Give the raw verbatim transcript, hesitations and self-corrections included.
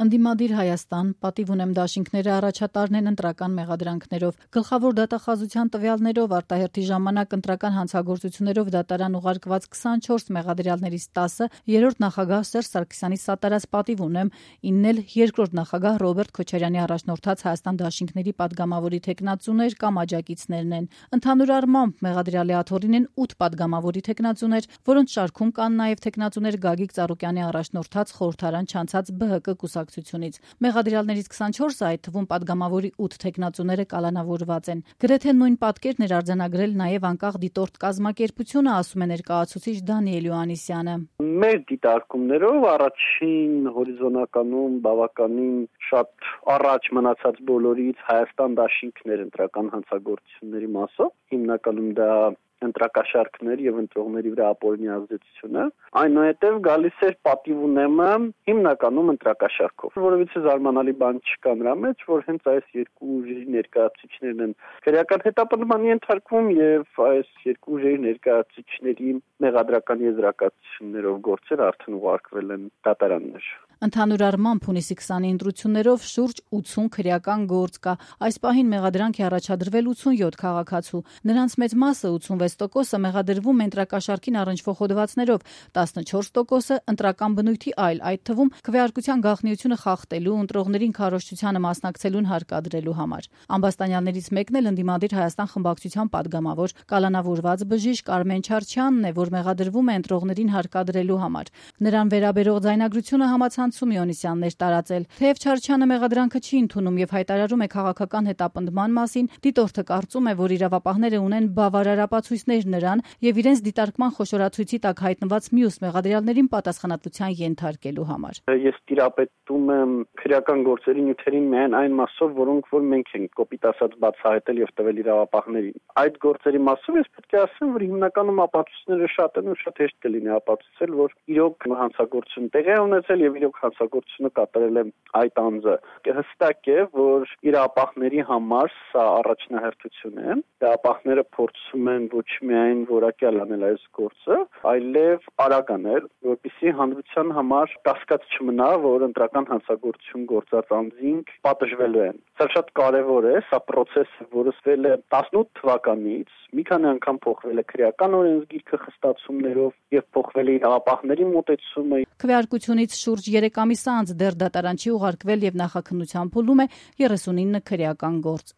Ընդդիմադիր Հայաստան, պատիվ ունեմ դաշինքները առաջատարն են ընտրական մեղադրանքներով։ Գլխավոր դատախազության տվյալներով արտահերթի ժամանակ ընտրական հանցագործություններով դատարան ուղարկված քսանչորս մեղադրյալներից տասը երրորդ նախագահ Սերժ Սարգսյանի սատարած պատիվ ունեմ, ինն էլ երկրորդ նախագահ Ռոբերտ Քոչարյանի առաջնորդած Հայաստան դաշինքների падգամավորի թեկնածուներ կամ աջակիցներն են։ Ընդհանուր առմամբ մեղադրյալի աթոռին են ութ падգամավորի թեկնածուներ, որոնց շարքում կան նաև թեկնածուներ Գագիկ Ծառուկյանի առաջնորդած խորհրդարան չանցած Բ Հ Կ կուսակցությունից։ Մեղադրյալներից քսանչորսը, այդ թվում падգամավորի ութ թեկնածուները կալանավորված են։ Գրեթե նույն պատկերն էր արձանագրել նաև անկախ դիտորդ կազմակերպությունը, ասում է ներկայացուցիչ Դանիել Հովհաննիսյանը։ Մեր դիտարկումներով առաջին հորիզոնականում բավականին շատ առաջ մնացած բոլորից Հայաստան դաշինքներ ընտրական հանցագործությունների մասով, հիմնականում դա ընտրակաշարքներ եւ ընտրողների վրա ապօրինի ազդեցությունը, այնուհետեւ գալիս էր պատիվ ունեմը հիմնականում ընտրակաշարքով, որովհետեւ զարմանալի բան չկա նրա մեջ, որ հենց այս երկու ուժերի ներկայացուցիչներն են քրեական հետապնդմանի ենթարկվում եւ այս երկու ուժերի ներկայացուցիչների մեղադրական եզրակացություններով գործեր արդեն ուղարկվել են դատարաններ։ Ընդհանուր առմամբ հունիսի քսանի ընտրություններով շուրջ ութսուն քրեական գործ կա։ Այս պահին մեղադրանք է առաջադրվել ութսունյոթ քաղաքացու։ Նրանց մեծ մասը ութսունվեց տոկոսը մեղադրվում է ընտրակաշարքին առնչվող հոդվածներով, տասնչորս տոկոսը ընտրական բնույթի այլ, այդ թվում քվեարկության գաղտնիությունը խախտելու, ընտրողներին քարոզչությանը մասնակցելուն հարկադրելու համար։ Ամբաստանյալներից մեկն էլ ընդդիմադիր Հայաստան խմբակցության падգամավոր կալանավորված բժիշկ Արմեն Չարչյանն է, որ մեղադրվում է ընտրողներին հարկադրելու համար։ Նրան վերաբերող ձայնագրությունը համացանցում Իոնիսյանն էր տարածել։ Թեև Չարչյանը մեղադրանքը չի ընդունում եւ հայտարարում է քաղաքական հետապնդման մասին, դիտորդը կարծում է, որ իրավապահները ունեն բավարար ապացույցներ նրան եւ իրենց դիտարկման խոշորացույցի տակ հայտնված մյուս մեղադրյալներին պատասխանատվության ենթարկելու համար։ Ես տիրապետում եմ քրեական գործերի նյութերին միայն այն մասով, որոնք որ մենք ենք կոպիտ ասած բացահայտել եւ տվել իրավապահներին։ Այդ գործերի մասով ես պետք է ասեմ, որ հիմնականում ապացույցները շատ են ու շատ հեշտ կլինի ապացուցել, որ իրոք հանցագործություն տեղի է ունեցել եւ իրոք հանցագործությունը կատարել է այդ անձը։ Հստակ է, որ իրավապահների համար սա առաջնահերթություն է։ Իրավապահները փորձում են ոչ միայն որակյալ անել այս գործը, այլև արագ անել, որպեսզի հանրության համար կասկած չմնա, որ ընտրական հանցագործություն գործած անձինք պատժվելու են։ Սա շատ կարևոր է, սա process է, որը սկսվել է տասնութ թվականից, մի քանի անգամ փոխվել է քրեական օրենսգիրքը խստացումներով եւ փոխվել է իրավապահների մոտեցումը։ Քվեարկությունից շուրջ երեք ամիս անց դեռ դատարան չի ուղարկվել եւ նախաքննության փուլում է երեսունինը քրեական գործ։